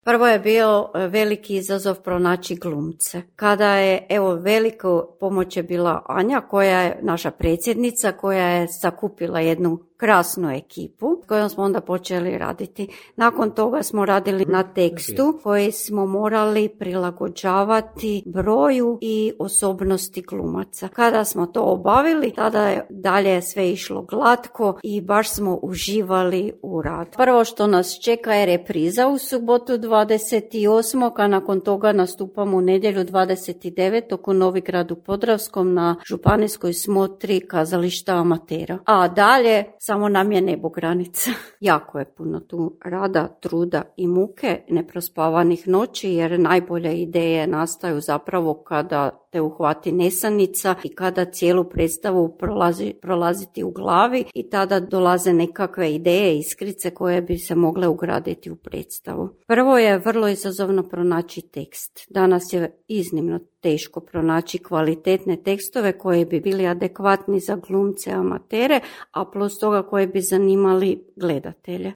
Prvo je bio veliki izazov pronaći glumce. Kada je, veliku pomoć je bila Anja, koja je naša predsjednica, koja je sakupila jednu krasnu ekipu s kojom smo onda počeli raditi. Nakon toga smo radili na tekstu koji smo morali prilagođavati broju i osobnosti glumaca. Kada smo to obavili, tada je dalje sve išlo glatko i baš smo uživali u radu. Prvo što nas čeka je repriza u subotu 28. a nakon toga nastupamo u nedjelju 29. u Novigradu Podravskom na županijskoj smotri kazališta amatera. A dalje samo nam je nebo granica. Jako je puno tu rada, truda i muke, neprospavanih noći, jer najbolje ideje nastaju zapravo kada te uhvati nesanica i kada cijelu predstavu prolaziti u glavi i tada dolaze nekakve ideje, iskrice koje bi se mogle ugraditi u predstavu. Prvo je vrlo izazovno pronaći tekst. Danas je iznimno teško pronaći kvalitetne tekstove koji bi bili adekvatni za glumce amatere, a plus toga koji bi zanimali gledatelje.